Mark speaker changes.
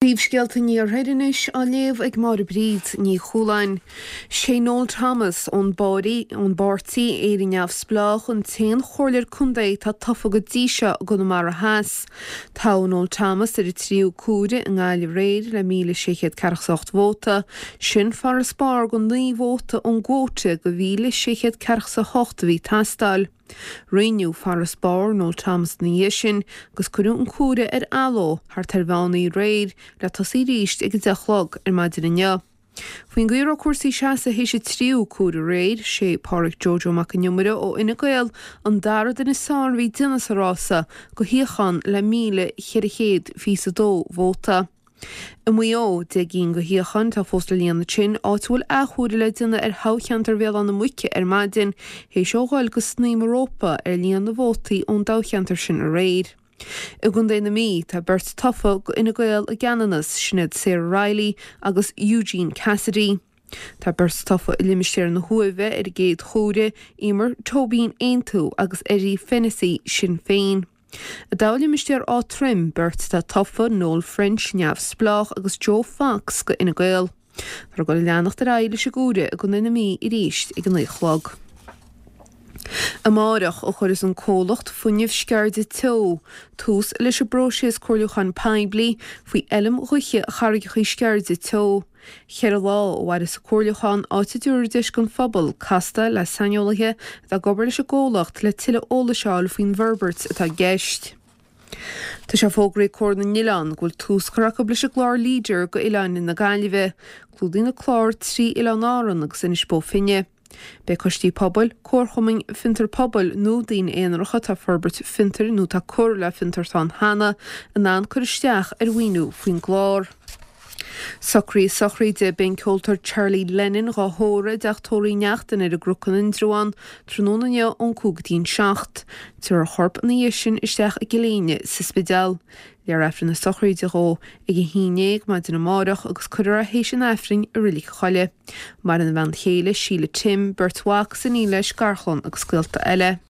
Speaker 1: Príomhscéalta an Iarthair anois á léamh ag Máire Bríd Ní Chualáin. Sé Noel Thomas ón bpáirtí Éire Neamhspleách an t-aon chomhairleoir contae atá tofa go dtí seo i gConamara Theas. Toghadh Noel Thomas ar an tríú cuaire i nGaillimh aréir le 1,648 vóta, sin farasbarr de 9 vóta ón gcuóta de 1,648 a bhí ag teastáil. Rinneadh farasbarr Noel Thomas ina dhiaidh sin agus cuireadh an comhaireamh ar athló thart ar mheán oíche aréir le tosaí arís ag 10 a chlog ar maidin inniu. Faoin gcaoi a raibh cúrsaí seasamh théis an tríú comhaireamh aréir, sé Pádraic Joe Joe Mac an Iomaire ó Fhine Gael an dara duine is fearr a bhí ag déanamh sa rása do shuíochán le 1,422 vóta. I Maigh Eo, 10 gcinn de shuíocháin atá fós le líonadh ansin, áit a bhfuil athchomhaireamh le déanamh ar thoghcheantar Bhéal Átha na Muice ar maidin, théis dó dhul go snaidhm an rópa ar líon na vótaí ón dtoghcheantar sin aréir. I gContae na Mí, tá beirt tofa do Fhine Gael i gCeanannas, sin iad Sarah Reilly agus Eugene Cassidy. Tá beirt tofa i limistéar na hUaimhe ar an gcéad chomhaireamh, Emer Tóibín, Aontú, agus Eddie Fennessy, Sinn Féin. I dtoghlimistéar Áth Troim, beirt atá tofa, Noel French, Neamhspleách, agus Joe Fox do Fhine Gael. Táthar ag dul a leanacht ar aghaidh leis an gcomhaireamh i gContae na Mí arís ag a 9 a chlog. Amáireach a chuirfeas an comhlacht Fuinneamh Sceirde Teo tús leis an bpróiseas comhairliúcháin poiblí faoi fheilm ghaoithe Charraigeacha Sceirde Teo. Cheithre lá a mhairfeas an comhairliúchán, áit a dtabharfar deis don phobal castáil le saineolaithe atá ag obair leis an gcomhlacht le tuilleadh eolais a fháil faoin bhforbairt atá i gceist. Tá sé fógraithe ag Comhar na nOileán go bhfuil tús curtha acu leis an gclár Leader go oileáin na Gaillimhe. Clúdaíonn an clár 3 oileán Árann agus Inis Bó Finne. Beidh coistí pobail, comharchumainn, fiontar pobail nó daoine aonaracha atá ag forbairt fiontair nó atá ag cur le fiontar atá ann cheana in ann cur isteach ar mhaoiniú faoin gclár. Socruithe sochraide, Beidh an ceoltóir Charlie Lennon dhá thórramh i dteach tórraimh Uí Neachtain ar an gCnoc in Indreabhán tráthnóna inniu ón 5 go dtí an 7. Tabharfar a chorp ina dhiaidh sin isteach i gCill Éinne sa Spidéal. Léifear Aifreann na sochraide dhó ag a 11 maidin amárach agus cuirfear é théis an Aifrinn i Reilig an Choilligh. Maireann a bhean chéile, Síle Tim, beirt mhac is iníon leis, garchlann agus gaolta eile.